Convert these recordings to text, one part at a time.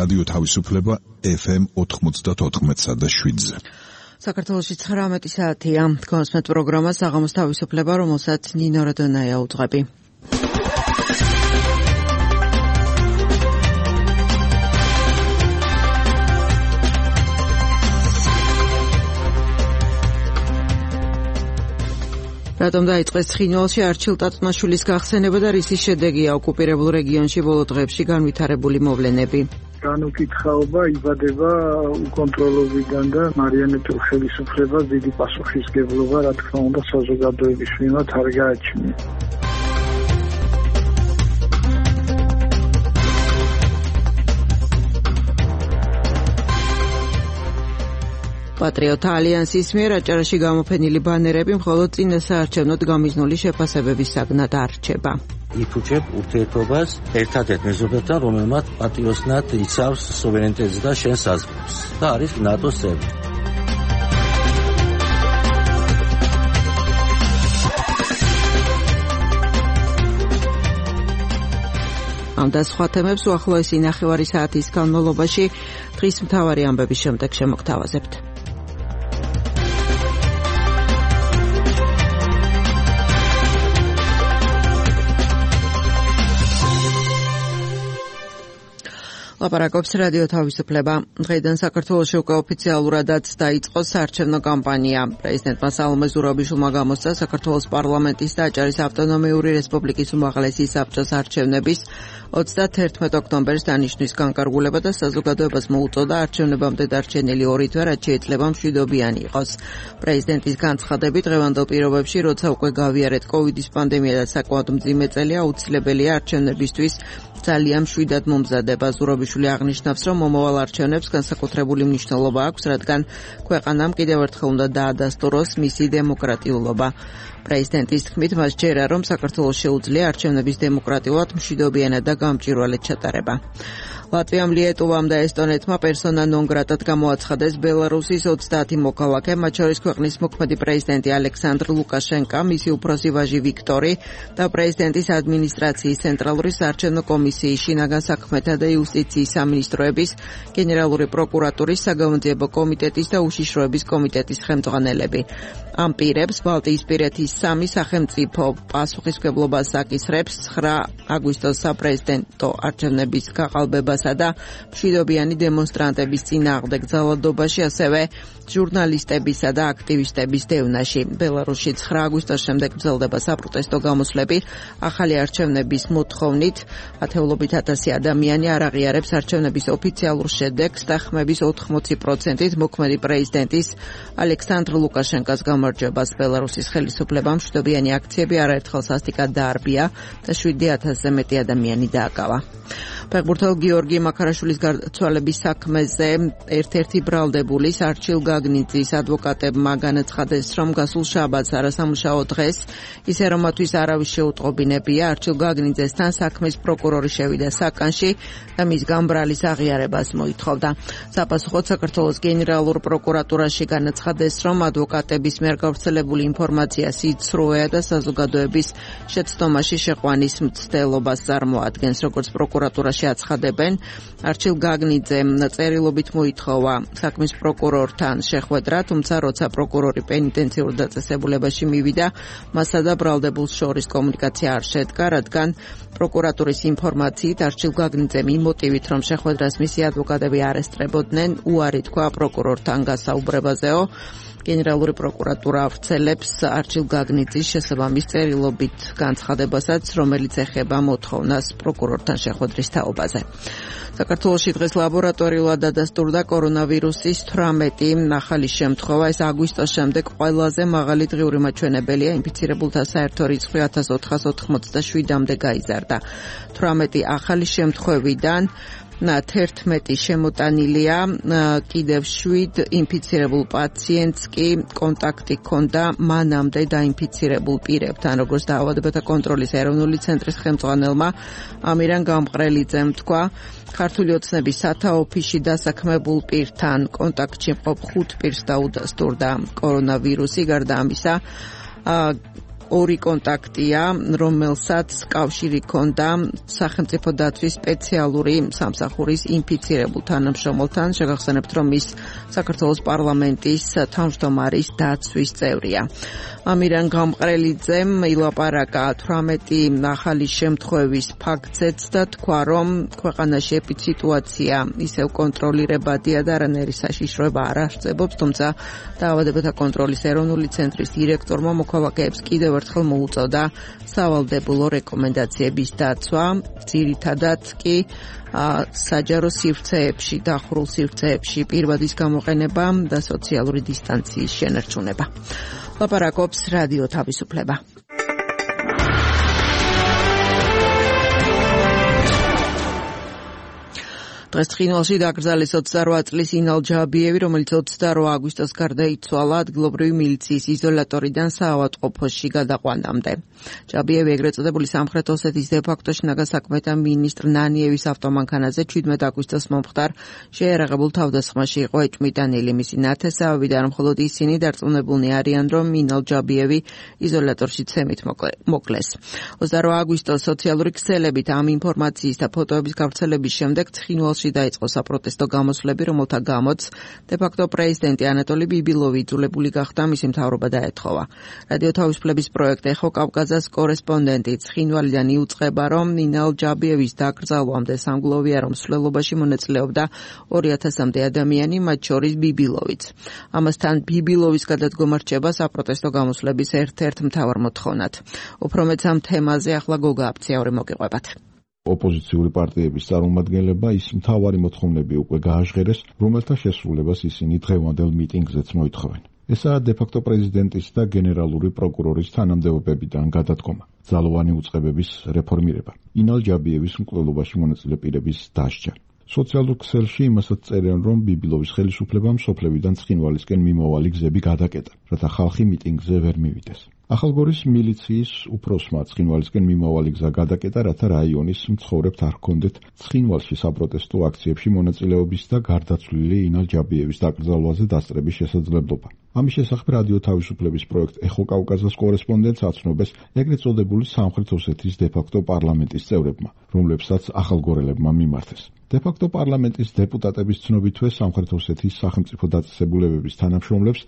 რადიო თავისუფლება FM 94.7-ზე. საქართველოში 19 საათია. გონსმეთ პროგრამა საღამოს თავისუფლება, რომელსაც ნინო რადონაია უძღვები. რატომ დაიწყეს ცხინვალში არჩილ ტატნაშვილის გახსენება და რისის შედეგია ოკუპირებულ რეგიონში ბოლო დღეებში განვითარებული მოვლენები? განუკითხაობა იბადება უკონტროლობიდან და მარიონეტულ ხელისუფლებას დიდი პასუხისგებლობა, რა თქმა უნდა, საზოგადოების მიმართ არ გააჩნია. პატრიოტთა ალიანსის მიერ აჭარაში გამოფენილი ბანერები მხოლოდ წინასაარჩევნოდ გამიზნული შეფასებების საგნად არჩება. იფუჭებ ურთიერთობას ერთადერთ მეზობელთან, რომელმაც პატიოსნად იცავს სუვერენიტეტს და შენ საზღვრებს და არის ნატოს წევრი. ამ და სხვა თემებს უახლოესი ნახევარი საათის განმავლობაში დღის მთავარი ამბების შემდეგ შემოგთავაზებთ. ლაპარაკობს რადიო თავისუფლება. დღეიდან საქართველოში უკვე ოფიციალურადაც დაიწყო საარჩევნო კამპანია. პრეზიდენტმა სალომე ზურაბიშვილმა გამოსცა საქართველოს პარლამენტის და აჭარის ავტონომიური რესპუბლიკის უმაღლესი საბჭოს არჩევნების 31 ოქტომბერს დანიშნვის განკარგულება და საზოგადოებას მოუწოდა არჩევნებამდე დარჩენილი 2 თვე, რაც შეიძლება მშვიდობიანი იყოს. პრეზიდენტის განცხადებით, დღევანდელ პირობებში, როცა უკვე გავიარეთ კოვიდის პანდემია და საკმაოდ მძიმე წელი, აუცილებელია არჩევნებისთვის ძალიან მშვიდად მომზადება. ზურაბიშვილი აღნიშნავს, რომ მომავალ არჩევნებს განსაკუთრებული მნიშვნელობა აქვს, რადგან ქვეყანამ კიდევ ერთხელ უნდა დაადასტუროს მისი დემოკრატიულობა. პრეზიდენტის თქმით, მას ჯერა, რომ საქართველოს შეუძლია არჩევნების დემოკრატიულად, მშვიდობიანად და გამჭვირვალედ ჩატარება. ლატვიამ, ლიეტუვამ და ესტონეთმა პერსონა ნონ გრატად გამოაცხადეს ბელარუსის 30 მოქალაქე, მათ შორის ქვეყნის მოქმედი პრეზიდენტი ალექსანდრ ლუკაშენკა, მისი უფროსი ვაჟი ვიქტორი და პრეზიდენტის ადმინისტრაციის ცენტრალური საარჩევნო კომისიის, შინაგან საქმეთა და იუსტიციის სამინისტროების, გენერალური პროკურატურის, საგამოძიებო კომიტეტის და უშიშროების კომიტეტის ხელმძღვანელები. ამ პირებს ბალტიისპირეთის 3 სახელმწიფო პასუხისმგებლობას აკისრებს 9 აგვისტოს საპრეზიდენტო არჩევნების გაყალბებასა და მშვიდობიანი დემონსტრანტების წინააღმდეგ ძალადობაში, ასევე ჟურნალისტებისა და აქტივისტების დევნაში. ბელარუსში 9 აგვისტოს შემდეგ გრძელდება საპროტესტო გამოსვლები. ახალი არჩევნების მოთხოვნით ათეულობით ათასი ადამიანი არ აღიარებს არჩევნების ოფიციალურ შედეგს და ხმების 80%-ით მოქმედი პრეზიდენტის ალექსანდრ ლუკაშენკას გამარჯვებას. ბელარუსის ხელისუფლებამ მშვიდობიანი აქციები არაერთხელ სასტიკად დაარბია და 7000-ზე მეტი ადამიანი დააკავა. ფეხბურთელ გიორგი მაქარაშვილის გარდაცვალების საქმეზე ერთ-ერთი ბრალდებულის არჩილ გაგნიძის ადვოკატებმა განაცხადეს, რომ გასულ შაბათს არასამუშაო დღეს, ისე რომ მათთვის არავის შეუტყობინებია, არჩილ გაგნიძესთან საქმის პროკურორი შევიდა საკანში და მის გამბრალის აღიარებას მოითხოვდა. საპასუხოდ საქართველოს გენერალურ პროკურატურაში განაცხადეს, რომ ადვოკატების მიერ გავრცელებული ინფორმაცია სიცრუეა და საზოგადოების შეცდომაში შეყვანის მცდელობას წარმოადგენს, როგორც პროკურატურაში აცხადებენ. არჩილ გაგნიძემ წერილობით მოითხოვა საქმის პროკურორთან შეხვედრა, თუმცა როცა პროკურორი პენიტენციურ დაწესებულებაში მივიდა, მასა და ბრალდებულს შორის კომუნიკაცია არ შედგა, რადგან პროკურატურის ინფორმაციით არჩილ გაგნიძემ იმ მოტივით, რომ შეხვედრას მისი ადვოკატები არ ესწრებოდნენ, უარი თქვა პროკურორთან გასაუბრებაზეო. გენერალური პროკურატურა ავრცელებს არჩილ გაგნიძის შესაბამის წერილობით განცხადებასაც, რომელიც ეხება მოთხოვნას პროკურორთან შეხვედრის თაობაზე. საქართველოში დღეს ლაბორატორიულად დადასტურდა კორონავირუსის 18 ახალი შემთხვევა. ეს აგვისტოს შემდეგ ყველაზე მაღალი დღიური მაჩვენებელია. ინფიცირებულთა საერთო რიცხვი 1487-მდე გაიზარდა. 18 ახალი შემთხვევიდან 11 შემოტანილია, კიდევ 7 ინფიცირებულ პაციენტს კი კონტაქტი ჰქონდა მანამდე დაინფიცირებულ პირებთან, როგორც დაავადებათა კონტროლის ეროვნული ცენტრის ხელმძღვანელმა ამირან გამყრელიძემ თქვა. ქართული ოცნების სათაოფიში დასაქმებულ პირთან კონტაქტში მყოფ 5 პირს დაუდასტურდა კორონავირუსი. გარდა ამისა, ორი კონტაქტია, რომელსაც კავშირი ჰქონდა სახელმწიფო დაცვის სპეციალური სამსახურის ინფიცირებულ თანამშრომელთან. შეგახსენებთ, რომ ის საქართველოს პარლამენტის თავმჯდომარის დაცვის წევრია. ამირან გამყრელიძემ ილაპარაკა 18 ახალი შემთხვევის ფაქტზეც და თქვა, რომ ქვეყანაში ეპიდსიტუაცია ისევ კონტროლირებადია და არანაირი საშიშროება არ არსებობს, თუმცა დაავადებათა კონტროლის ეროვნული ცენტრის დირექტორმა მოქალაქეებს კიდევ ერთხელ მოუწოდა სავალდებულო რეკომენდაციების დაცვა, ძირითადად კი საჯარო სივრცეებში, დახურულ სივრცეებში პირბადის გამოყენება და სოციალური დისტანციის შენარჩუნება. ლაპარაკობს რადიო თავისუფლება. დღეს ცხინვალში დაკრძალეს 28 წლის ინალ ჯაბიევი, რომელიც 28 აგვისტოს გარდაიცვალა ადგილობრივი მილიციის იზოლატორიდან საავადმყოფოში გადაყვანამდე. ჯაბიევი ეგრეთ წოდებული სამხრეთ ოსეთის დე-ფაქტო შინაგან საქმეთა მინისტრ ნანიევის ავტომანქანაზე 17 აგვისტოს მომხდარ შეიარაღებულ თავდასხმაში იყო ეჭვმიტანილი. მისი ნათესავები და მხოლოდ ისინი დარწმუნებულნი არიან, რომ ინალ ჯაბიევი იზოლატორში ცემით მოკლეს. 28 აგვისტოს სოციალური ქსელებით ამ ინფორმაციის და ფოტოების გავრცელების შემდეგ ცხინვალში დაიწყო საპროტესტო გამოსვლები, რომელთა გამოც დე-ფაქტო პრეზიდენტი ანატოლი ბიბილოვი იძულებული გახდა მისი მთავრობა დაეთხოვა. რადიო თავისუფლების პროექტ ეხო კავკაზას კორესპონდენტი ცხინვალიდან იუწყება, რომ ინალ ჯაბიევის დაკრძალვამდე სამგლოვია, რომ მსვლელობაში მონაწილეობდა 2000-მდე ადამიანი, მათ შორის ბიბილოვიც. ამასთან ბიბილოვის გადადგომა რჩება საპროტესტო გამოსვლების ერთ-ერთ მთავარ მოთხოვნად. უფრო მეც ამ თემაზე ახლა გოგა აფციური მოგიყვებათ. ოპოზიციური პარტიების წარმომადგენლებმა ის მთავარი მოთხოვნები უკვე გააჟღერეს, რომელთა შესრულებას ისინი დღევანდელ მიტინგზეც მოითხოვენ. ესაა დე-ფაქტო პრეზიდენტის და გენერალური პროკურორის თანამდებობებიდან გადადგომა, ძალოვანი უწყებების რეფორმირება, ინალ ჯაბიევის მკვლელობაში მონაწილე პირების დასჯა. სოციალურ ქსელში იმასაც წერენ, რომ ბიბილოვის ხელისუფლებამ სოფლებიდან ცხინვალისკენ მიმავალი გზები გადაკეტა, რათა ხალხი მიტინგზე ვერ მივიდეს. ახალგორის მილიციის უფროსმა ცხინვალისკენ მიმავალი გზა გადაკეტა, რათა რაიონის მცხოვრებთ არ ჰქონდეთ ცხინვალში საპროტესტო აქციებში მონაწილეობის და გარდაცვლილი ინალ ჯაბიევის დაკრძალვაზე დასწრების შესაძლებლობა. ამის შესახებ რადიო თავისუფლების პროექტ ეხო კავკაზას კორესპონდენტს აცნობეს ეგრეთ წოდებული სამხრეთ ოსეთის დე-ფაქტო პარლამენტის წევრებმა, რომლებსაც ახალგორელებმა მიმართეს. დე-ფაქტო პარლამენტის დეპუტატების ცნობითვე სამხრეთ ოსეთის სახელმწიფო დაწესებულებების თანამშრომლებს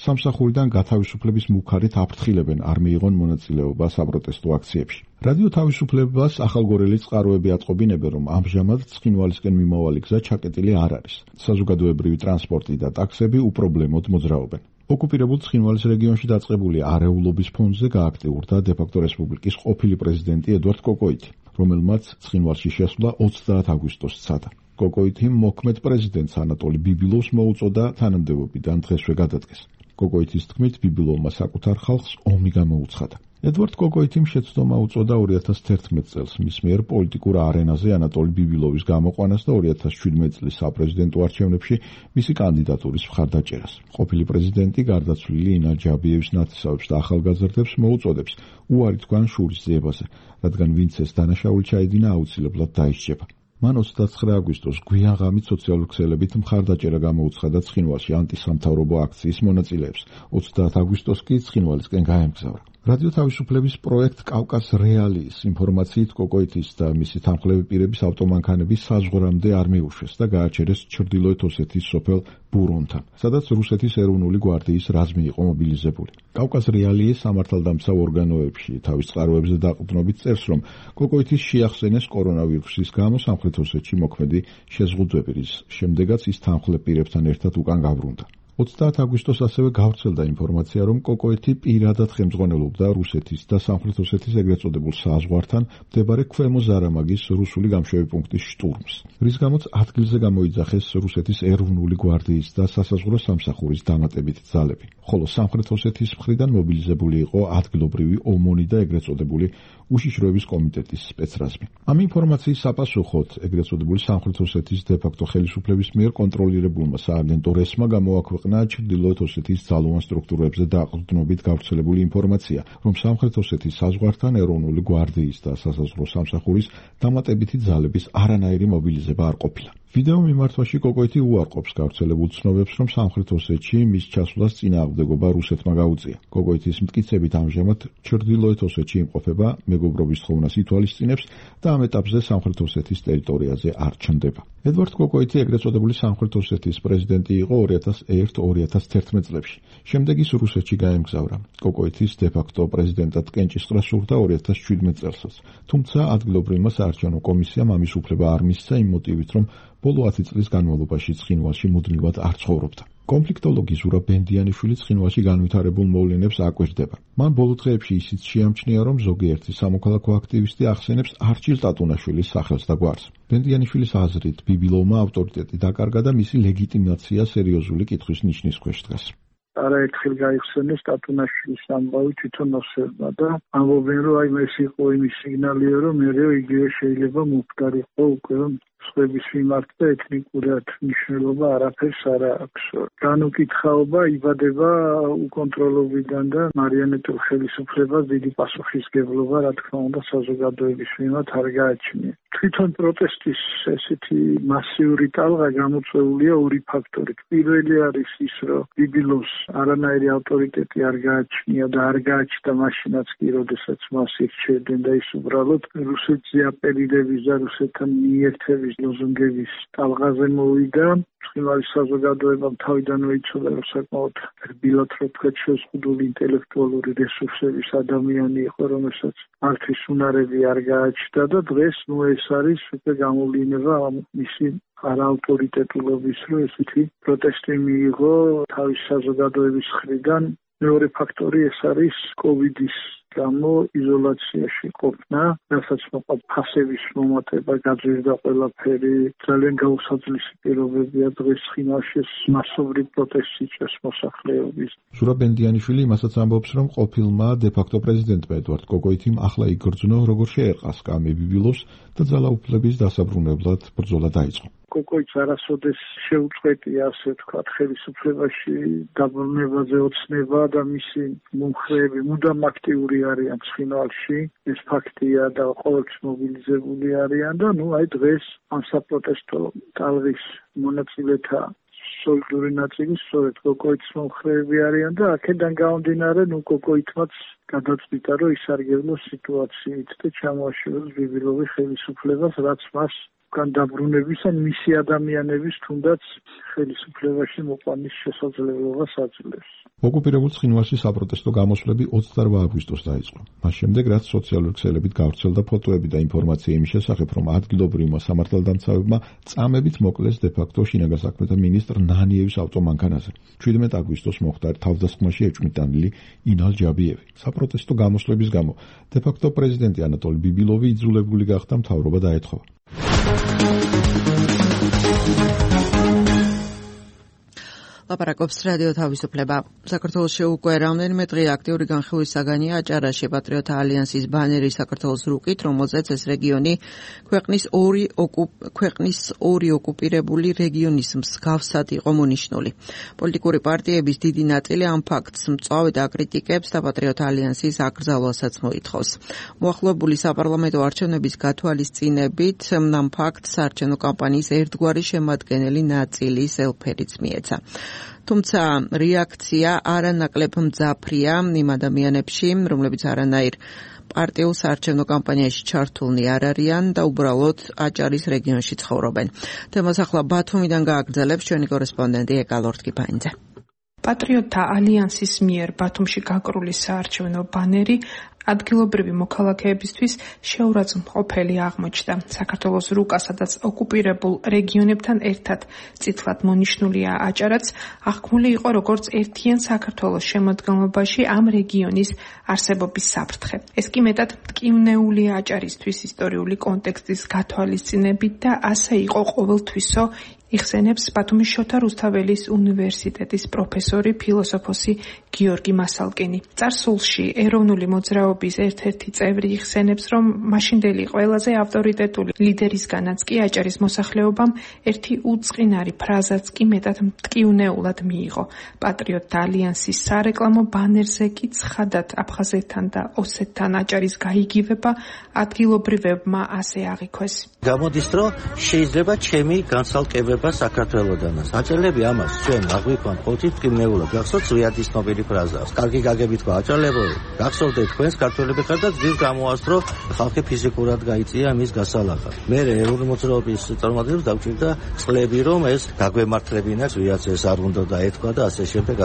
სამსახურიდან გათავისუფლების მუქარით აფრთხილებენ არ მიიღონ მონაწილეობა საპროტესტო აქციებში. რადიო თავისუფლებას ახალგორელი წყაროები ატყობინებენ, რომ ამჟამად ცხინვალისკენ მიმავალი გზა ჩაკეტილი არ არის. საზოგადოებრივი ტრანსპორტი და ტაქსები უპრობლემოდ მოძრაობენ. ოკუპირებულ ცხინვალის რეგიონში დაწყებული არეულობის ფონზე გააქტიურდა დე-ფაქტო რესპუბლიკის ყოფილი პრეზიდენტი ედვარდ კოკოიტი, რომელმაც ცხინვალში შესვლა 30 აგვისტოს სცადა. კოკოიტი მოქმედ პრეზიდენტს ანატოლი ბიბილოვს მოუწოდა თანამდებობიდან დღესვე გადადგეს. კოკოიტის თქმით, ბიბილოვმა საკუთარ ხალხს ომი გამოუცხადა. ედვარდ კოკოიტიმ შეცდომა უწოდა 2011 წელს მის მიერ პოლიტიკურ არენაზე ანატოლი ბიბილოვის გამოყვანას და 2017 წლის საპრეზიდენტო არჩევნებში მისი კანდიდატურის მხარდაჭერას. ყოფილი პრეზიდენტი გარდაცვლილი ინალ ჯაბიევის ნათესავებს და ახალგაზრდებს მოუწოდებს უარი თქვან შურის ძიებაზე, რადგან ვინც ეს დანაშაული ჩაიდინა, აუცილებლად დაისჯება. მან 29 აგვისტოს გვიან ღამით სოციალურ ქსელებით მხარდაჭერა გამოუცხადა ცხინვალში ანტისამთავრობო აქციის მონაწილეებს. 30 აგვისტოს კი ცხინვალისკენ გაემგზავრა. რადიო თავისუფლების პროექტ კავკას რეალიის ინფორმაციით კოკოიტის და მისი თანხლები პირების ავტომანქანები საზღვრამდე არ მიუშვეს და გააჩერეს ჩრდილოეთ ოსეთის სოფელ ბურონთან, სადაც რუსეთის ეროვნული გვარდიის რაზმი იყო მობილიზებული. კავკას რეალიის სამართალდამცავ ორგანოებში თავის წყაროებზე დაყრდნობით წერს, რომ კოკოიტის შეახსენეს კორონავირუსის გამო სამხრეთ ოსეთში მოქმედი შეზღუდვები, რის შემდეგაც ის თანხლებ პირებთან ერთად უკან გავრუნდა. 30 აგვისტოს ასევე გავრცელდა ინფორმაცია, რომ კოკოიტი პირადად ხელმძღვანელობდა რუსეთის და სამხრეთ ოსეთის ეგრეთ წოდებულ საზღვართან მდებარე ქვემო ზარამაგის რუსული გამშვები პუნქტის შტურმს, რის გამოც ადგილზე გამოიძახეს რუსეთის ეროვნული გვარდიის და სასაზღვრო სამსახურის დამატებითი ძალები, ხოლო სამხრეთ ოსეთის მხრიდან მობილიზებული იყო ადგილობრივი ომონი და ეგრეთ წოდებული უშიშროების კომიტეტის სპეცრაზმი. ამ ინფორმაციის საპასუხოდ ეგრეთ წოდებული სამხრეთ ოსეთის დე-ფაქტო ხელისუფლების მიერ კონტროლირებულმა სააგენტო რესმა გამოაქვეყნა ჩრდილოეთ ოსეთის ძალოვან სტრუქტურებზე დაყრდნობით გავრცელებული ინფორმაცია, რომ სამხრეთ ოსეთის საზღვართან ეროვნული გვარდიის და სასაზღვრო სამსახურის დამატებითი ძალების არანაირი მობილიზება არ ყოფილა. ვიდეო მიმართვაში კოკოიტი უარყოფს გავრცელებულ ცნობებს, რომ სამხრეთ ოსეთში მის ჩასვლას წინააღმდეგობა რუსეთმა გაუწია. კოკოიტის მტკიცებით ამჟამად ჩრდილოეთ ოსეთში იმყოფება, მეგობრობის თხოვნას ითვალისწინებს და ამ ეტაპზე სამხრეთ ოსეთის ტერიტორიაზე არ ჩნდება. ედვარდ კოკოიტი ეგრეთ წოდებული სამხრეთ ოსეთის პრეზიდენტი იყო 2001-2011 წლებში. შემდეგ ის რუსეთში გაემგზავრა. კოკოიტის დე-ფაქტო პრეზიდენტად კენჭისყრა სურდა 2017 წელსაც. თუმცა ადგილობრივმა საარჩევნო კომისიამ ამის უფლება არ მისცა იმ მოტივით, რომ ბოლო 10 წლის განმავლობაში ცხინვალში მუდმივად არ ცხოვრობდა. კონფლიქტოლოგი ზურაბ ბენდიანიშვილი ცხინვალში განვითარებულ მოვლენებს აკვირდება. მან ბოლო დღეებში ისიც შეამჩნია, რომ ზოგიერთი სამოქალაქო აქტივისტი ახსენებს არჩილ ტატუნაშვილის სახელს და გვარს. ბენდიანიშვილის აზრით, ბიბილოვმა ავტორიტეტი დაკარგა და მისი ლეგიტიმაცია სერიოზული კითხვის ნიშნის ქვეშ დგას. არაერთხელ გაიხსენეს ტატუნაშვილის ამბავი თვითონ ოსერმა და ამბობენ, რომ აი ეს იყო იმის სიგნალია, რომ მერე იგივე შეიძლება მომხდარიყო უკვე სხვების მიმართ და ეთნიკურად მნიშვნელობა არაფერს არ აქვს. განუკითხაობა იბადება უკონტროლობიდან და მარიონეტულ ხელისუფლებას დიდი პასუხისგებლობა, რა თქმა უნდა, საზოგადოების მიმართ არ გააჩნია. თვითონ პროტესტის ესეთი მასიური ტალღა გამოწვეულია ორი ფაქტორით. პირველი არის ის, რომ ბიბილოვს არანაირი ავტორიტეტი არ გააჩნია და არ გააჩნდა მაშინაც კი, როდესაც მას ირჩევდნენ და ის უბრალოდ რუსეთზე აპელირების და რუსეთთან მიერთების ლოზუნგების ტალღაზე მოვიდა. ცხინვალის საზოგადოებამ თავიდანვე იცოდა, რომ საკმაოდ რბილად შეზღუდული ინტელექტუალური რესურსების ადამიანი იყო, რომელსაც არცის უნარები არ გააჩნდა და დღეს ეს არის უკვე გამოვლინება მისი არაავტორიტეტულობის, რომ ესეთი პროტესტი მიიღო თავის საზოგადოების მხრიდან. მეორე ფაქტორი ეს არის კოვიდის გამო იზოლაციაში ყოფნა, რასაც მოყვა ფასების მომატება, გაძვირდა ყველაფერი, ძალიან გაუსაძლისი პირობებია დღეს ცხინვალში მასობრივ პროტესტს იწვევს მოსახლეობის. ზურაბ ბენდიანიშვილი იმასაც ამბობს, რომ ყოფილმა დე-ფაქტო პრეზიდენტმა ედვარდ კოკოიტიმ ახლა იგრძნო, როგორ შეერყა სკამი ბიბილოვს და ძალაუფლების დასაბრუნებლად ბრძოლა დაიწყო. კოკოიტს არასოდეს შეუწყვეტია, ასე ვთქვათ, ხელისუფლებაში დაბრუნებაზე ოცნება და მისი მომხრეები მუდამ აქტიური არიან ცხინვალში. ეს ფაქტია და ყოველთვის მობილიზებული არიან და აი დღეს ამ საპროტესტო ტალღის მონაწილეთა სოლიდური ნაწილი სწორედ კოკოიტის მომხრეები არიან და აქედან გამომდინარე კოკოიტმაც გადაწყვიტა, რომ ისარგებლოს სიტუაციით და ჩამოაშოროს ბიბილოვის ხელისუფლებას, რაც მას დაბრუნების ან მისი ადამიანების თუნდაც ხელისუფლებაში მოყვანის შესაძლებლობას აძლევს. ოკუპირებულ ცხინვალში საპროტესტო გამოსვლები 28 აგვისტოს დაიწყო. მას შემდეგ, რაც სოციალური ქსელებით გავრცელდა ფოტოები და ინფორმაცია იმის შესახებ, რომ ადგილობრივმა სამართალდამცავებმა წამებით მოკლეს დე-ფაქტო შინაგან საქმეთა მინისტრ ნანიევის ავტომანქანაზე. 17 აგვისტოს მოხდა თავდასხმაში ეჭვმიტანილი ინალ ჯაბიევი. საპროტესტო გამოსვლების გამო დე-ფაქტო პრეზიდენტი ანატოლი ბიბილოვი იძულებული გახდა მთავრობა დაეთხოვა. ლაპარაკობს რადიო თავისუფლება. საქართველოში უკვე რამდენიმე დღე აქტიური განხილვის საგანია აჭარაში პატრიოტთა ალიანსის ბანერი საქართველოს რუკით, რომელზეც ეს რეგიონი ქვეყნის ორი ოკუპირებული რეგიონის მსგავსად იყო მონიშნული. პოლიტიკური პარტიების დიდი ნაწილი ამ ფაქტს მწვავედ აკრიტიკებს და პატრიოტთა ალიანსის აკრძალვასაც მოითხოვს. მოახლოებული საპარლამენტო არჩევნების გათვალისწინებით ამ ფაქტს საარჩევნო კამპანიის ერთგვარი შემადგენელი ნაწილის ელფერიც მიეცა. თუმცა რეაქცია არანაკლებ მძაფრია იმ ადამიანებში, რომლებიც არანაირ პარტიულ საარჩევნო კამპანიაში ჩართულნი არ არიან და უბრალოდ აჭარის რეგიონში ცხოვრობენ. თემას ახლა ბათუმიდან გააგრძელებს ჩვენი კორესპონდენტი ეკალორდ კიფაინძე. პატრიოტთა ალიანსის მიერ ბათუმში გაკრული საარჩევნო ბანერი ადგილობრივი მოქალაქეებისთვის შეურაცხმყოფელი აღმოჩნდა. საქართველოს რუკა, სადაც ოკუპირებულ რეგიონებთან ერთად წითლად მონიშნულია აჭარაც, აღქმული იყო როგორც ერთიან საქართველოს შემოდგომობაში ამ რეგიონის არსებობის საფრთხე. ეს კი მეტად მტკივნეულია აჭარისთვის ისტორიული კონტექსტის გათვალისწინებით და ასე იყო ყოველთვისო, იხსენებს ბათუმის შოთა რუსთაველის უნივერსიტეტის პროფესორი, ფილოსოფოსი გიორგი მასალკინი. წარსულში ეროვნული მოძრაობის ერთ-ერთი წევრი იხსენებს, რომ მაშინდელი ყველაზე ავტორიტეტული ლიდერისგანაც კი აჭარის მოსახლეობამ ერთი უწყინარი ფრაზაც კი მეტად მტკივნეულად მიიღო. პატრიოტთა ალიანსის სარეკლამო ბანერზე კი ცხადად აფხაზეთთან და ოსეთთან აჭარის გაიგივება ადგილობრივებმა ასე აღიქვეს. გამოდის რომ შეიძლება ჩემი განცალკევება საქართველოდანაც. აჭარლები ამას ჩვენ აღვიქვამთ ყოველთვის მტკივნეულად. გახსოვთ ზვიადის ნობელი ფრაზა. კარგი გაგებით თქვა აჭარლებო, გახსოვდეთ თქვენს ქართველები ხართ და ძირ გამოასწრო ხალხი ფიზიკურად გაიწია მის გასალახად. მე ეროვნული მოძრაობის წარმომადგენლებს დავჭირდა წლები რომ ეს გაგვემართლებინა ზვიადს ეს არ უნდა დაეთქვა და ასე შემდეგ.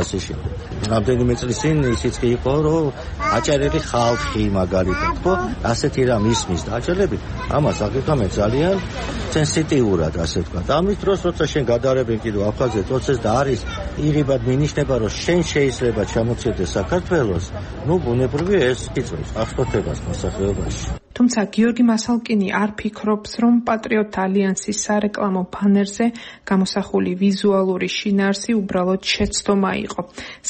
რამდენიმე წლის წინ ისიც კი იყო რომ აჭარელი ხალხი მაგალითად ხო ასეთი რამ ისმის და აჭარლები ამას აგიხამენ ძალიან სენსიტიურად ასე ვთქვათ. ამის დროს როცა შენ გადაარებენ კიდევ აფხაზეთს პროცესს და არის იღებად მინიშნება რომ შენ შეიძლება ჩამოწირდეს საქართველოს, ბუნებრივია ეს იწვევს აღშფოთებას მოსახლეობაში. თუმცა გიორგი მასალკინი არ ფიქრობს, რომ პატრიოტთა ალიანსის სარეკლამო ბანერზე გამოსახული ვიზუალური შინაარსი უბრალოდ შეცდომა იყო.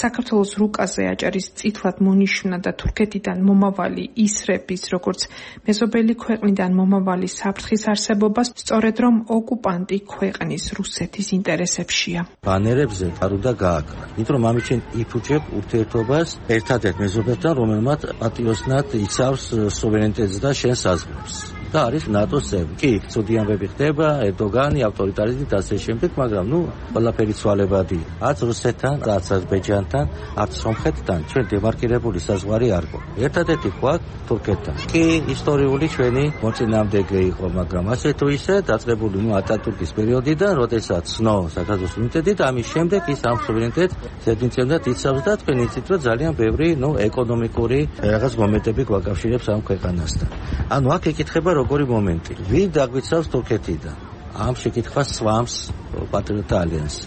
საქართველოს რუკაზე აჭარის წითლად მონიშნა და თურქეთიდან მომავალი ისრების, როგორც მეზობელი ქვეყნიდან მომავალი საფრთხის არსებობა, სწორედ რომ ოკუპანტი ქვეყნის რუსეთის ინტერესებშია. ბანერებზე არ უნდა გააკრა. იმიტომ რომ ამით შენ იფუჭებ ურთიერთობას ერთადერთ მეზობელთან, რომელმაც პატიოსნად იცავს სუვერენიტეტს და შენ საზღვრებს. და არის ნატოს წევრი. კი, ცუდი ამბები ხდება, ერდოგანი, ავტორიტარიზმი და ასე შემდეგ, მაგრამ ყველაფერი ცვალებადია. არც რუსეთთან, არც აზერბაიჯანთან, არც სომხეთთან ჩვენ დემარკირებული საზღვარი არ გვაქვს. ერთადერთი გვაქვს თურქეთთან. კი, ისტორიული ჩვენი მოწინააღმდეგე იყო, მაგრამ ასე თუ ისე დაწყებული ატატურკის პერიოდიდან, როდესაც ცნო საქართველოს სუვერენიტეტი და ამის შემდეგ ის ამ სუვერენიტეტს ზედმიწევნად იცავს და თქვენ იცით, რომ ძალიან ბევრი ეკონომიკური რაღაც მომენტები გვაკავშირებს ამ ქვეყანასთან. ანუ აქ ეკითხება როგორი მომენტი. ვინ დაგვიცავს თურქეთიდან? ამ შეკითხვას სვამს პატრიოტთა ალიანსი.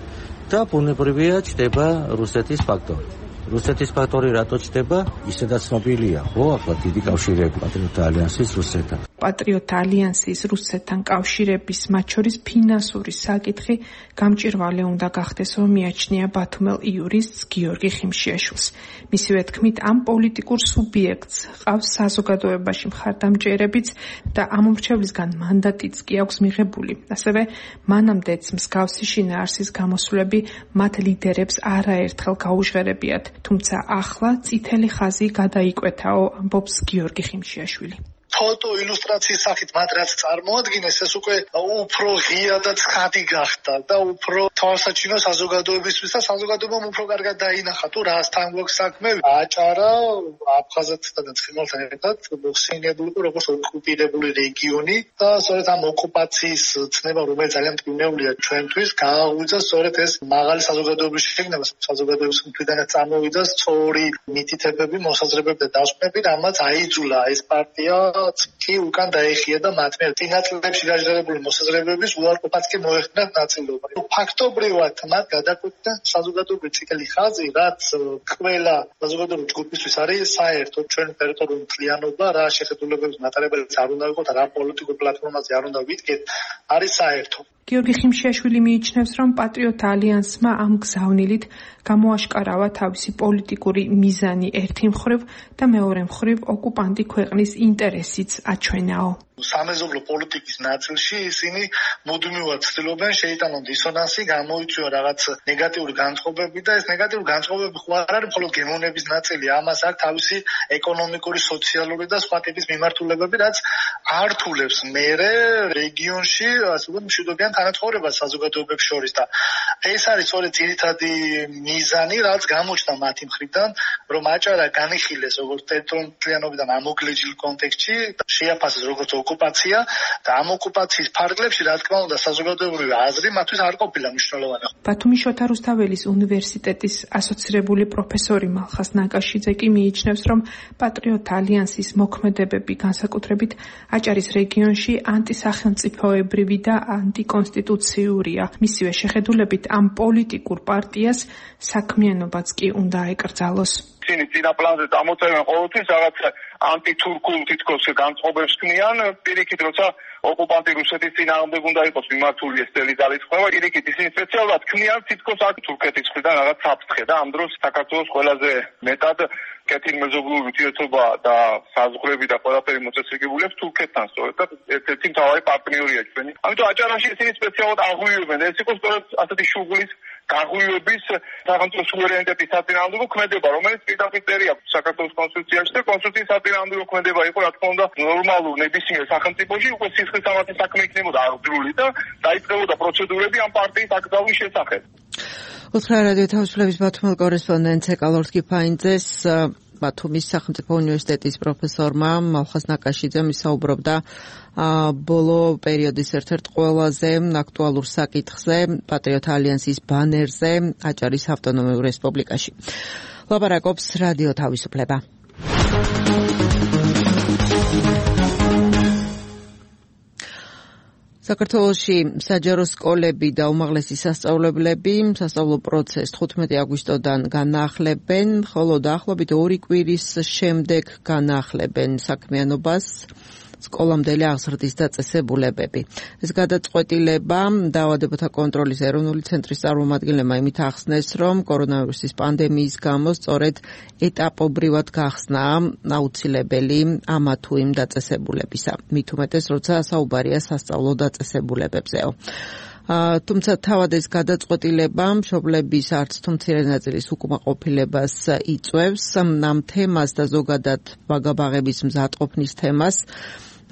და ბუნებრივია ჩდება რუსეთის ფაქტორი. რუსეთის ფაქტორი რატო ჩდება? ისედაც ცნობილია, ხო, ახლა დიდი კავშირები პატრიოტთა ალიანსის რუსეთთან. პატრიოტთა ალიანსის რუსეთთან კავშირების, მათ შორის ფინანსური საკითხი გამჭირვალე უნდა გახდეს, რომ მიაჩნია ბათუმელ იურისტს გიორგი ხიმშიაშვილს. მისივე თქმით, ამ პოლიტიკურ სუბიექტს ყავს საზოგადოებაში მხარდამჭერებიც და ამ უმრჩევლისგან მანდატიც კი აქვს მიღებული. ასევე მანამდეც მსგავსი შინაარსის გამოსვლები მათ ლიდერებს არაერთხელ გაუჟღერებიათ. თუმცა ახლა წითელი ხაზი გადაიკვეთაო, ამბობს გიორგი ხიმშიაშვილი. ფოტო ილუსტრაციის სახით მათ რაც წარმოადგენს, ეს უკვე უფრო ღია და ცხადი გახდა და უფრო თვალსაჩინო საზოგადოებისთვის და საზოგადოებამ უფრო კარგად დაინახა თუ რასთან გვაქვს საქმე. აჭარა აფხაზეთთან და ცხინვალთან ერთად მოხსენიებული როგორც ოკუპირებული რეგიონი და სწორედ ამ ოკუპაციის ცნება, რომელიც ძალიან მტკივნეულია ჩვენთვის, გააღვიძა სწორედ ეს მაღალი საზოგადოების შეგნება, საზოგადოების მხრიდანაც წამოვიდა სწორი მითითებები, მოსაზრებები და დასკვნები, რამაც აიძულა ეს პარტია კი უკან დაეხია და მათ მიერ წინაწლებში გაჟღერებული მოსაზრებების უარყოფაც კი მოეხდინათ ნაწილობა. ფაქტობრივად მათ გადაკვეთდა საზოგადოებრივი წითელი ხაზი, რაც ყველა საზოგადოებრივი ჯგუფისთვის არის საერთო ჩვენ ტერიტორიული მთლიანობა, რა შეხედულებების მატარებელიც არ უნდა იყოს და რა პოლიტიკურ პლატფორმაზე არ უნდა ვიდგეთ, არის საერთო. გიორგი ხიმშიაშვილი მიიჩნევს, რომ პატრიოტთა ალიანსმა ამ გზავნილით გამოაშკარავა თავისი პოლიტიკური მიზანი ერთი მხრივ და მეორე მხრივ ოკუპანტი ქვეყნის ინტერესიც აჩვენაო. სამეზობლო პოლიტიკის ნაწილში ისინი მუდმივად ცდილობენ შეიტანონ დისონანსი, გამოიწვიონ რაღაც ნეგატიური განწყობები და ეს ნეგატიური განწყობები ხო არ არის მხოლოდ გემოვნების ნაწილი, ამას აქვს თავისი ეკონომიკური, სოციალური და სხვა ტიპის მიმართულებები, რაც ართულებს მერე რეგიონში ასე ვთქვათ მშვიდობიან თანაცხოვრებას საზოგადოებებს შორის და ეს არის სწორედ ძირითადი მიზანი, რაც გამოჩნდა მათი მხრიდან, რომ აჭარა განიხილეს როგორც ტერიტორიული მთლიანობიდან ამოგლეჯილ კონტექსტში, შეაფასეს როგორც ოკუპაცია და ამ ოკუპაციის ფარგლებში, რა თქმა უნდა, საზოგადოებრივი აზრი მათთვის არ ყოფილა მნიშვნელოვანი. ბათუმის შოთა რუსთაველის უნივერსიტეტის ასოცირებული პროფესორი მალხას ნაკაშიძე კი მიიჩნევს, რომ პატრიოტთა ალიანსის მოქმედებები განსაკუთრებით აჭარის რეგიონში ანტისახელმწიფოებრივი და ანტიკონსტიტუციურია. მისივე შეხედულებით ამ პოლიტიკურ პარტიას საქმიანობაც კი უნდა ეკრძალოს. ისინი წინა პლანზე წამოწევენ ყოველთვის რაღაც ანტითურქულ თითქოს განწყობებს ქმნიან, პირიქით როცა ოკუპანტი რუსეთის წინააღმდეგ უნდა იყოს მიმართული ეს წელი ძალისხმევა, პირიქით ისინი სპეციალურად ქმნიან თითქოს აქ თურქეთის მხრიდან რაღაც საფრთხე და ამ დროს საქართველოს ყველაზე მეტად კეთილმეზობლური ურთიერთობა და საზღვრები და ყველაფერი მოწესრიგებულებს თურქეთთან სწორედ და ერთ-ერთი მთავარი პარტნიორია ჩვენი. ამიტომ აჭარაში ისინი სპეციალურად აღვივებენ, ეს იყო სწორედ ასეთი შუღლის გაღვივების სახელმწიფო სუვერენიტეტის საწინააღმდეგო ქმედება, რომელიც პირდაპირ აქვს საქართველოს კონსტიტუციაში და კონსტიტუციის საწინააღმდეგო ქმედება იყო, რა თქმა უნდა, ნორმალურ ნებისმიერ სახელმწიფოში უკვე სისხლის სამართლის საქმე იქნებოდა აღძრული და დაიწყებოდა პროცედურები ამ პარტიის აკრძალვის შესახებ. უთხრა რადიო თავისუფლების ბათუმელ კორესპონდენტ ეკალორს კიფაინძეს ბათუმის სახელმწიფო უნივერსიტეტის პროფესორმა მალხაზ ნაკაშიძემ ისაუბრობდა ბოლო პერიოდის ერთ-ერთ ყველაზე აქტუალურ საკითხზე, პატრიოტ ალიანსის ბანერზე, აჭარის ავტონომიურ რესპუბლიკაში. ლაპარაკობს რადიო თავისუფლება. საქართველოში საჯარო სკოლები და უმაღლესი სასწავლებლები სასწავლო პროცესს 15 აგვისტოდან განაახლებენ, ხოლო დაახლოებით 2 კვირის შემდეგ განაახლებენ საქმიანობას სკოლამდელი აღზრდის დაწესებულებები. ეს გადაწყვეტილება დაავადებათა კონტროლის ეროვნული ცენტრის წარმომადგენლებმა იმით ახსნეს, რომ კორონავირუსის პანდემიის გამო სწორედ ეტაპობრივად გახსნა აუცილებელი ამა თუ იმ დაწესებულებისა. მით უმეტეს, როცა საუბარია სასწავლო დაწესებულებებზეო. თუმცა თავად ეს გადაწყვეტილება მშობლების არც თუ მცირე ნაწილის უკმაყოფილებას იწვევს ამ თემას და ზოგადად ბაგაბაღების მზადყოფნის თემას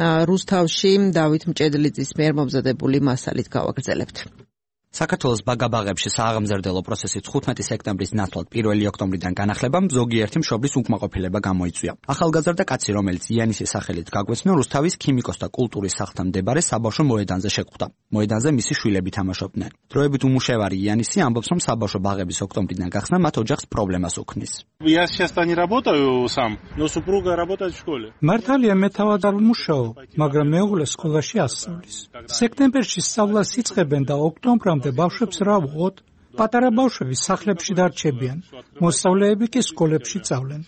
რუსთავში დავით მჭედლიძის მიერ მომზადებული მასალით გავაგრძელებთ. საქართველოს ბაგაბაღებში სააღმზრდელო პროცესის 15 სექტემბრის ნაცვლად 1 ოქტომბრიდან განახლებამ ზოგიერთი მშობლის უკმაყოფილება გამოიწვია. ახალგაზრდა კაცი, რომელიც იანისის სახელით გაგვეცნო, რუსთავის ქიმიკოს და კულტურის სახლთან მდებარე საბავშვო მოედანზე შეკვდა. მოედანზე მისი შვილები თამაშობდნენ. დროებით უმუშევარი იანისი ამბობს, რომ საბავშვო ბაღების ოქტომბრიდან გახსნა მათ ოჯახს პრობლემას უქმნის. Я сейчас не работаю сам, но супруга работает в школе. მართალია მე თავად არ ვმუშაობ, მაგრამ მეუღლე სკოლაში ასწავლის. სექტემბერში სწავლას იწყებენ და ოქტომბრამდე ბავშვებს რა ვუყოთ? პატარა ბავშვები სახლებში დარჩებიან, მოსწავლეები კი სკოლებში სწავლენ.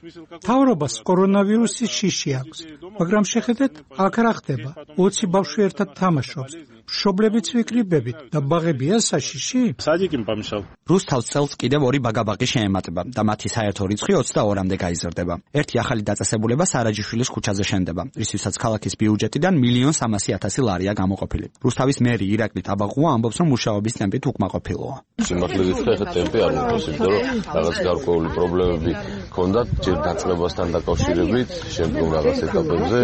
მთავრობას კორონავირუსის შიში აქვს, მაგრამ შეხედეთ, აქ რა ხდება? 20 ბავშვი ერთად თამაშობს. მშობლებიც ვიკრიბებით და ბაღებია საშიში? სადიკიმ პამშავ. რუსთავს წელს კიდევ 2 ბაგაბაღი შეემატება და მათი საერთო რიცხვი 22-მდე გაიზრდება. ერთი ახალი დაწესებულება სარაჯიშვილის ქუჩაზე შენდება, რისთვისაც ქალაქის ბიუჯეტიდან 1,300,000 ლარია გამოყოფილი. რუსთავის მერი ირაკლი ტაბაღუა ამბობს, რომ მუშაობის ტემპით უკმაყოფილოა. სიმართლეზე ხა ტემპი არ მოხდეს, იმიტომ რომ რაღაც გარკვეული პრობლემები ჰქონდათ ჯერ დაწყებასთან დაკავშირებით, შემდგომ რაღაც ეტაპებზე,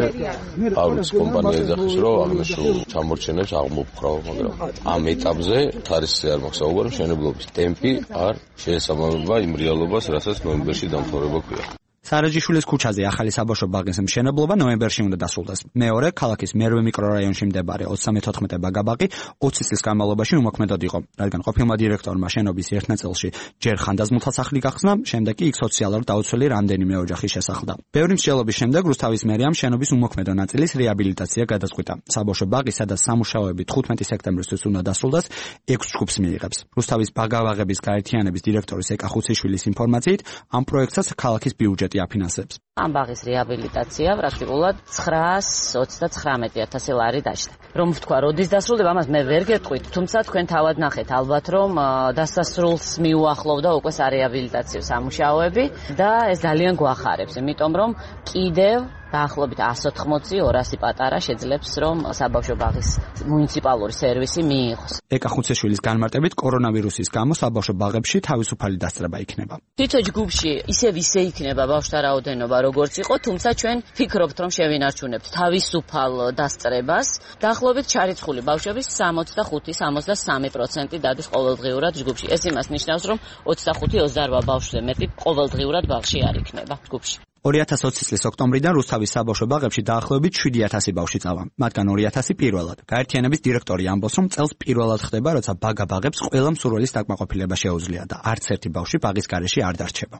არ ვიცი, კომპანია ეძახის, რომ აღნიშნულ ჩამორჩენებს აღმოფხრავ, მაგრამ ამ ეტაპზე ხარისხი არ მაქვს საუბარი, მშენებლობის ტემპი არ შეესაბამება იმ რეალობას, რასაც ნოემბერში დამთავრება ქვია. სარაჯიშვილის ქუჩაზე ახალი საბავშვო ბაღის მშენებლობა ნოემბერში უნდა დასრულდეს. მეორე, ქალაქის მერვე მიკრორაიონში მდებარე 34 ბაგაბაღი 20 წლის განმავლობაში უმოქმედოდ იყო, რადგან ყოფილმა დირექტორმა შენობის ერთ ნაწილში ჯერ ხანდაზმულთა სახლი გახსნა, შემდეგ კი იქ სოციალურად დაუცველი რამდენიმე ოჯახი შესახლდა. ბევრი მსჯელობის შემდეგ რუსთავის მერიამ შენობის უმოქმედო ნაწილის რეაბილიტაცია გადაწყვიტა. საბავშვო ბაღი, სადაც სამუშაოები 15 სექტემბრისთვის უნდა დასრულდეს, 6 ჯგუფს მიიღებს. რუსთავის ბაგაბაღების გაერთიანების დირექტორის ეკა ხუციშვილის ინფორმაციით, ამ პროექტსაც ქალაქის ბიუჯეტი აფინანსებს. ამ ბაღის რეაბილიტაცია პრაქტიკულად 999,000 ლარი დაჭდა. რომ ვთქვა, როდის დასრულდება, ამას მე ვერ გეტყვით, თუმცა თქვენ თავად ნახეთ, ალბათ რომ დასასრულს მიუახლოვდა უკვე სარეაბილიტაციო სამუშაოები და ეს ძალიან გვახარებს, იმიტომ რომ კიდევ დაახლოებით 180-200 პატარა შეძლებს, რომ საბავშვო ბაღის მუნიციპალური სერვისი მიიღოს. ეკა ხუციშვილის განმარტებით, კორონავირუსის გამო საბავშვო ბაღებში თავისუფალი დასწრება იქნება. თითო ჯგუფში ისევ ისე იქნება ბავშვთა რაოდენობა, როგორც იყო, თუმცა ჩვენ ფიქრობთ, რომ შევინარჩუნებთ თავისუფალ დასწრებას. დაახლოებით ჩარიცხული ბავშვების 65-63% დადის ყოველდღიურად ჯგუფში. ეს იმას ნიშნავს, რომ 25-28 ბავშვზე მეტი ყოველდღიურად ბაღში არ იქნება ჯგუფში. 2020 წლის ოქტომბრიდან რუსთავის საბავშვო ბაღებში დაახლოებით 7,000 ბავშვი წავა, მათგან 2,000 პირველად. გაერთიანების დირექტორი ამბობს, რომ წელს პირველად ხდება, როცა ბაგაბაღებს ყველა მსურველის დაკმაყოფილება შეუძლია და არც ერთი ბავშვი ბაღის გარეშე არ დარჩება.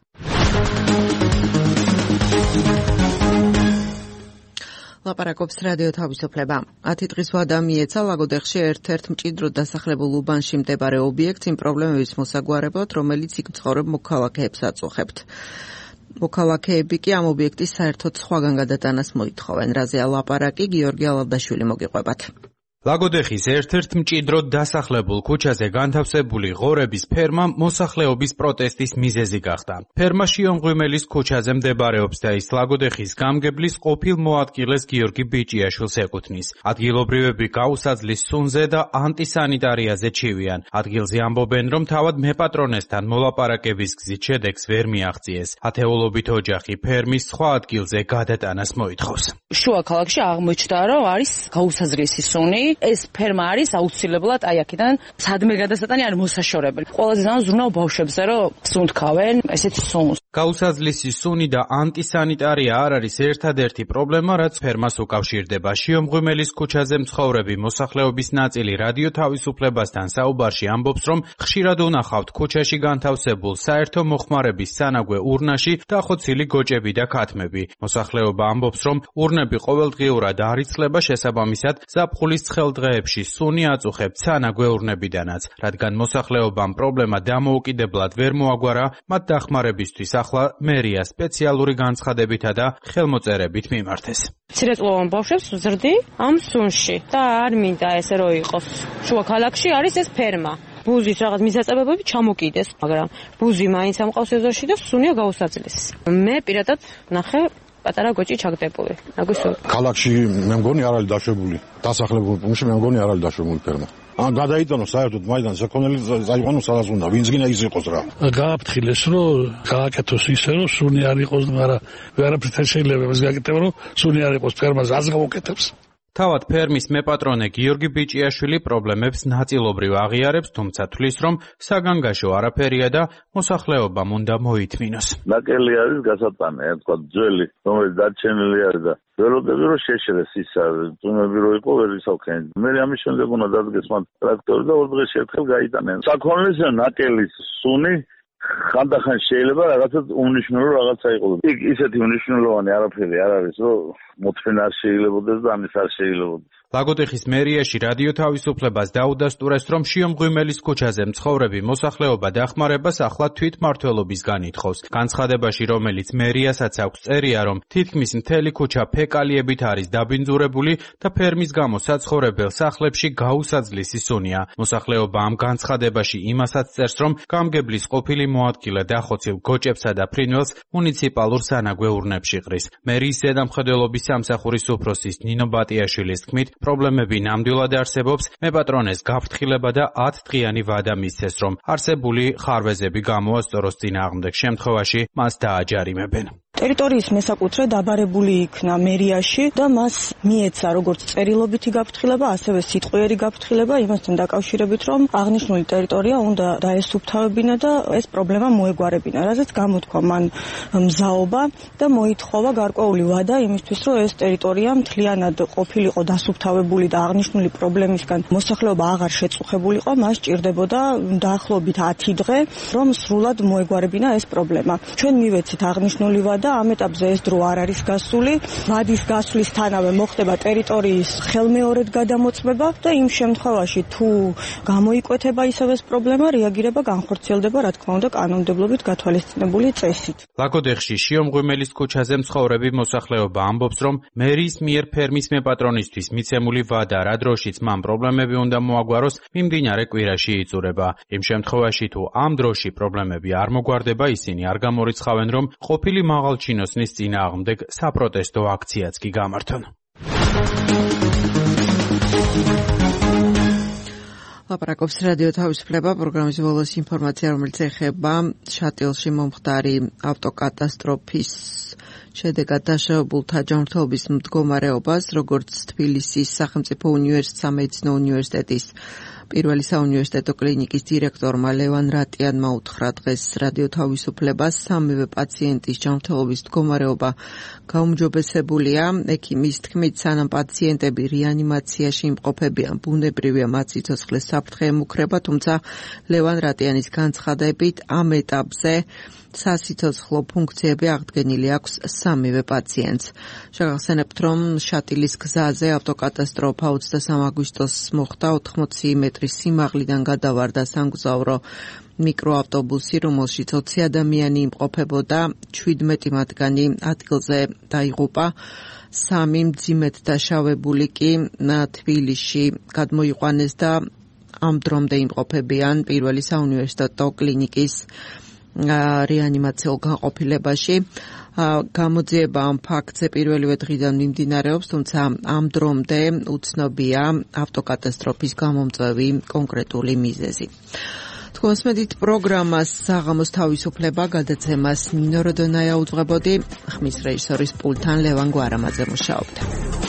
ლაპარაკობს რადიო თავისუფლება. 10 დღის ვადა მიეცა ლაგოდეხში ერთ-ერთ მჭიდროდ დასახლებულ უბანში მდებარე ობიექტს იმ პრობლემების მოსაგვარებლად, რომელიც იქ მცხოვრებ მოქალაქეებს აწუხებთ. მოქალაქეები კი ამ ობიექტის საერთოდ სხვაგან გადატანას მოითხოვენ. რაზეა ლაპარაკი, გიორგი ალავდაშვილი მოგიყვებათ. ლაგოდეხის ერთ-ერთ მჭიდროდ დასახლებულ ქუჩაზე განთავსებული ღორების ფერმა მოსახლეობის პროტესტის მიზეზი გახდა. ფერმა შიომღვიმელის ქუჩაზე მდებარეობს და ის ლაგოდეხის გამგებლის ყოფილ მოადგილეს გიორგი ბიჭიაშვილს ეკუთვნის. ადგილობრივები გაუსაძლის სუნზე და ანტისანიტარიაზე ჩივიან. ადგილზე ამბობენ, რომ თავად მეპატრონესთან მოლაპარაკების გზით შედეგს ვერ მიაღწიეს. ათეულობით ოჯახი ფერმის სხვა ადგილზე გადატანას მოითხოვს. შუა ქალაქში აღმოჩნდა, რომ არის გაუსაზრისი სუნი. ეს ფერმა არის აუცილებლად აი აქედან სადმე გადასატანი არ მოსაშორებელი. ყველაზე ძალიან ზრუნავ ბავშვებზე, რომ სუნთქავენ ესეთ სუნს. გაუსაზლისი სუნი და ანტისანიტარია არ არის ერთადერთი პრობლემა, რაც ფერმას უკავშირდება. შიომღვიმელის ქუჩაზე მცხოვრები მოსახლეობის ნაწილი რადიო თავისუფლებასთან საუბარში ამბობს, რომ ხშირად უნახავთ ქუჩაში განთავსებულ საერთო მოხმარების სანაგვე ურნაში დახოცილი გოჭები და ქათმები. მოსახლეობა ამბობს, რომ ურნები ყოველდღიურად არ იცლება, შესაბამისად ზაფხულის ცხელ დღეებში სუნი აწუხებთ სანაგვე ურნებიდანაც. რადგან მოსახლეობამ პრობლემა დამოუკიდებლად ვერ მოაგვარა, მათ დახმარებისთვის ახლა მერია სპეციალური განცხადებითა და ხელმოწერებით მიმართეს. მცირეწლოვან ბავშვებს ვზრდი ამ სუნში და არ მინდა ესე რომ იყოს. შუა ქალაქში არის ეს ფერმა. ბუზის რაღაც მისაწებებები ჩამოკიდეს, მაგრამ ბუზი მაინც ამყავს ეზოში და სუნია გაუსაძლესი. მე პირადად ნახე პატარა გოჭი ჩაგდებული. აგვისურვებ. ქალაქში მე მგონი არ არის დაშვებული. დასახლებულ პუნქტში მე მგონი არ არის დაშვებული ფერმა. ან გადაიტანოს საერთოდ მაიდან საქონელი წაიყვანოს სადაც უნდა. ვინც გინდა ის იყოს რა. გააფრთხილეს რომ გააკეთოს ისე რომ სუნი არ იყოს, მაგრამ ვერაფრით შეიძლება ეს გაკეთება რომ სუნი არ იყოს ფერმაზე ას გამოკეთებს. თავად ფერმის მეპატრონე გიორგი ბიჭიაშვილი პრობლემებს ნაწილობრივ აღიარებს, თუმცა თვლის, რომ საგანგაშო არაფერია და მოსახლეობამ უნდა მოითმინოს. ნაკელი არის გასატანე, თქვა ძველი, რომელიც დარჩენილი არის და ველოდები რომ შეშრეს ისა, თუნები რომ იყო ვერ ისავხენ. მე ამის შემდეგ უნდა დადგეს მან ტრაქტორი და ორ დღეში ერთხელ გაიტანენ. საქონლის ნაკელის სუნი ხანდახან შეიძლება რაღაცა უნიშნულო რაღაცა იყოს. იქ ისეთი უნიშნულოვანი არაფერი არ არის, რომ მოთმინა არ შეიძლებაოდეს და ამის არ შეიძლებაოდეს. ლაგოდეხის მერიაში რადიო თავისუფლებას დაუდასტურეს, რომ შიომღვიმელის ქუჩაზე მცხოვრები მოსახლეობა დახმარებას ახლა თვითმმართველობის განითხოვს. განცხადებაში, რომელიც მერიასაც აქვს წერია, რომ თითქმის მთელი ქუჩა ფეკალიებით არის დაბინძურებული და ფერმის გამო საცხოვრებელ სახლებში გაუსაძლისი სუნია. მოსახლეობა ამ განცხადებაში იმასაც წერს, რომ გამგებლის ყოფილი მოადგილე დახოცილ გოჭებსა და ფრინველს მუნიციპალურ სანაგვე ურნებში ყრის. მერიის ზედამხედველობის სამსახურის უფროსის ნინო ბატიაშვილის თქმით, პრობლემები ნამდვილად არსებობს, მეპატრონეს გაფრთხილება და 10 დღიანი ვადა მისცეს, რომ არსებული ხარვეზები გამოასწოროს წინააღმდეგ შემთხვევაში მას დააჯარიმებენ. ტერიტორიის მესაკუთრე დაბარებული იქნა მერიაში და მას მიეცა როგორც წერილობითი გაფრთხილება, ასევე სიტყვიერი გაფრთხილება იმასთან დაკავშირებით, რომ აღნიშნული ტერიტორია უნდა დაესუფთავებინა და ეს პრობლემა მოეგვარებინა, რაზეც გამოთქვა მან მზაობა და მოითხოვა გარკვეული ვადა იმისთვის, რომ ეს ტერიტორია მთლიანად ყოფილიყო დასუფთავებული და აღნიშნული პრობლემისგან მოსახლეობა აღარ შეწუხებულიყო, მას ჭირდებოდა დაახლოებით 10 დღე, რომ სრულად მოეგვარებინა ეს პრობლემა. ჩვენ მივეცით აღნიშნული ვადა და ამ ეტაპზე ეს დრო არ არის გასული. ვადის გასვლისთანავე მოხდება ტერიტორიის ხელმეორედ გადამოწმება და იმ შემთხვევაში თუ გამოიკვეთება ისევ ეს პრობლემა, რეაგირება განხორციელდება, რა თქმა უნდა, კანონმდებლობით გათვალისწინებული წესით. ლაგოდეხში შიომღვიმელის ქუჩაზე მცხოვრები მოსახლეობა ამბობს, რომ მერიის მიერ ფერმის მეპატრონისთვის მიცემული ვადა რა დროშიც მან პრობლემები უნდა მოაგვაროს, მიმდინარე კვირაში იწურება. იმ შემთხვევაში თუ ამ დროში პრობლემები არ მოგვარდება, ისინი არ გამორიცხავენ, რომ ყოფილი მაღალჩინოსნის წინააღმდეგ საპროტესტო აქციაც კი გამართონ. ლაპარაკობს რადიო თავისუფლება, პროგრამის ბოლოს ინფორმაცია, რომელიც ეხება შატილში მომხდარი ავტოკატასტროფის შედეგად დაშავებულთა ჯანმრთელობის მდგომარეობას, როგორც თბილისის სახელმწიფო სამედიცინო უნივერსიტეტის პირველი საუნივერსიტეტო კლინიკის დირექტორმა ლევან რატიანმა უთხრა დღეს რადიო თავისუფლებას, სამივე პაციენტის ჯანმრთელობის მდგომარეობა გაუმჯობესებულია. ექიმის თქმით, სანამ პაციენტები რეანიმაციაში იმყოფებიან, ბუნებრივია მათ სიცოცხლეს საფრთხე ემუქრება, თუმცა ლევან რატიანის განცხადებით ამ ეტაპზე სასიცოცხლო ფუნქციები აღდგენილი აქვს 3-ვე პაციენტს. შეგახსენებთ, რომ შატილის გზაზე ავტოკატასტროფა 23 აგვისტოს მოხდა, 80 მეტრის სიმაღლიდან გადავარდა სამგზავრო მიკროავტობუსი, რომელშიც 20 ადამიანი იმყოფებოდა, 17 მათგანი ადგილზე დაიღუპა. 3 მძიმედ დაშავებული კი თბილისში გადმოიყვანეს და ამ დრომდე იმყოფებიან პირველი საუნივერსიტეტო კლინიკის რეანიმაციულ განყოფილებაში. გამოძიება ამ ფაქტზე პირველივე დღიდან მიმდინარეობს, თუმცა ამ დრომდე უცნობია ავტოკატასტროფის გამომწვევი კონკრეტული მიზეზი. თქვენსმედით პროგრამას საღამოს თავისუფლება გადაცემას ნინო როდონაია უძღვებოდი, ხმის რეჟისორის პულტთან ლევან გვარამაძე მუშაობდა.